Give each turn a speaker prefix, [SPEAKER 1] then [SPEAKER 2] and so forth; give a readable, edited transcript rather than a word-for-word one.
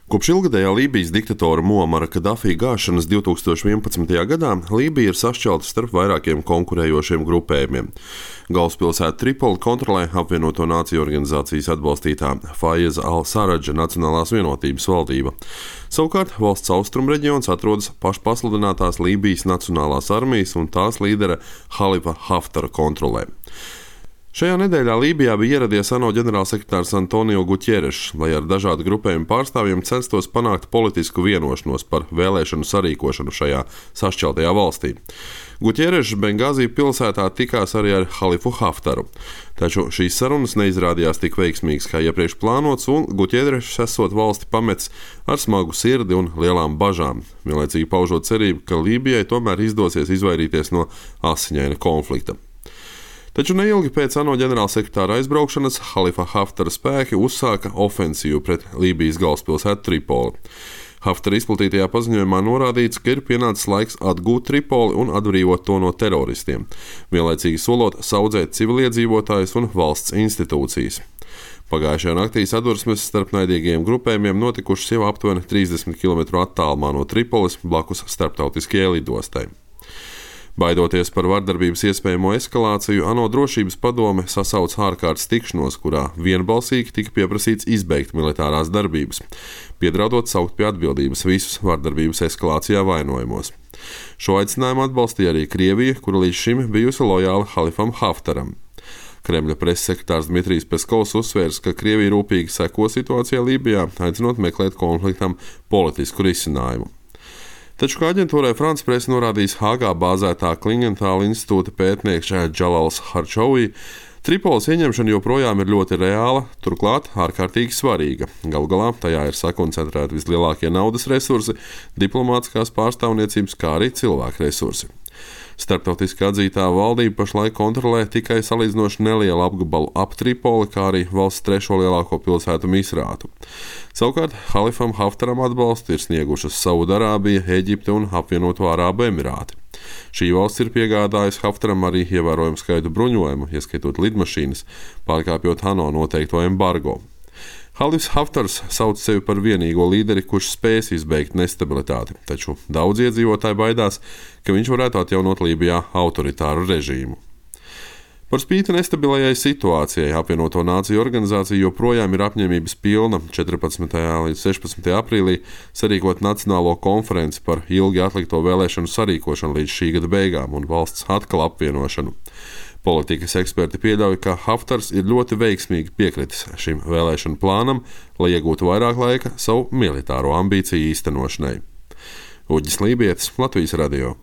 [SPEAKER 1] Kopš ilgadējā Lībijas diktatora Muamara Kadafī gāšanas 2011. gadā Lībija ir sašķelta starp vairākiem konkurējošiem grupējumiem. Galvaspilsētu Tripoli kontrolē apvienoto nāciju organizācijas atbalstītā Faiza al-Saradža Nacionālās vienotības valdība. Savukārt valsts austrumu reģions atrodas pašpasludinātās Lībijas Nacionālās armijas un tās līdera Halifa Haftara kontrolē. Šajā nedēļā Lībijā bija ieradies ANO ģenerālsekretārs Antonio Guterres, lai ar dažādu grupējumu pārstāvjiem censtos panākt politisku vienošanos par vēlēšanu sarīkošanu šajā sašķeltajā valstī. Guterres Bengāzī pilsētā tikās arī ar Halifu Haftaru, taču šīs sarunas neizrādījās tik veiksmīgas kā iepriekš plānots, un Guterres esot valsti pametis ar smagu sirdi un lielām bažām, vienlaicīgi paužot cerību, ka Lībijai tomēr izdosies izvairīties no asiņaina konflikta. Taču neilgi pēc ANO ģenerālsekretāra aizbraukšanas Halifa Haftara spēki uzsāka ofensīvu pret Lībijas galvaspilsētu Tripoli. Haftara izplatītajā paziņojumā norādīts, ka ir pienācis laiks atgūt Tripoli un atbrīvot to no teroristiem, vienlaicīgi solot saudzēt civiliedzīvotājus un valsts institūcijas. Pagājušajā naktī sadursmes starp naidīgajiem grupējumiem notikušas jau aptuveni 30 km attālumā no Tripolis blakus starptautiskajai lidostai. Baidoties par vardarbības iespējamo eskalāciju, ANO drošības padome sasauca ārkārtas tikšanos, kurā vienbalsīgi tika pieprasīts izbeigt militārās darbības, piedraudot saukt pie atbildības visus vardarbības eskalācijā vainojamos. Šo aicinājumu atbalstīja arī Krievija, kura līdz šim bijusi lojāla Halifam Haftaram. Kremļa preses sekretārs Dmitrijs Peskovs uzsvērs, ka Krievija rūpīgi seko situācijai Lībijā, aicinot meklēt konfliktam politisku risinājumu. Taču, kā aģentūrai France Press norādījis Hāgā bāzētā Klingentāla institūta pētnieks Džalals Harčovī, Tripolis ieņemšana joprojām ir ļoti reāla, turklāt ārkārtīgi svarīga. Galu galā tajā ir sakoncentrēti vislielākie naudas resursi, diplomātiskās pārstāvniecības, kā arī cilvēku resursi. Starptautiski atzītā valdība pašlaik kontrolē tikai salīdzinoši nelielu apgabalu ap Tripoli, kā arī valsts trešo lielāko pilsētu Misrātu. Savukārt Halifam Haftaram atbalstu ir sniegušas Saudarābija, Eģipte un apvienoto Arābu Emirāti. Šī valsts ir piegādājusi Haftaram arī ievērojumu skaitu bruņojumu, ieskaitot lidmašīnas, pārkāpjot ANO noteikto embargo. Halifs Haftars sauc sevi par vienīgo līderi, kurš spēs izbeigt nestabilitāti, taču daudz iedzīvotāji baidās, ka viņš varētu atjaunot Lībijā autoritāru režīmu. Par spīti nestabilajai situācijai apvienoto nāciju organizācija joprojām ir apņēmības pilna 14. līdz 16. aprīlī sarīkot nacionālo konferenci par ilgi atlikto vēlēšanu sarīkošanu līdz šī gada beigām un valsts atkal apvienošanu. Politikas eksperti pieļauj, ka Haftars ir ļoti veiksmīgi piekritis šim vēlēšanu plānam, lai iegūtu vairāk laika savu militāro ambīciju īstenošanai. Uģis Lībietis, Latvijas radio.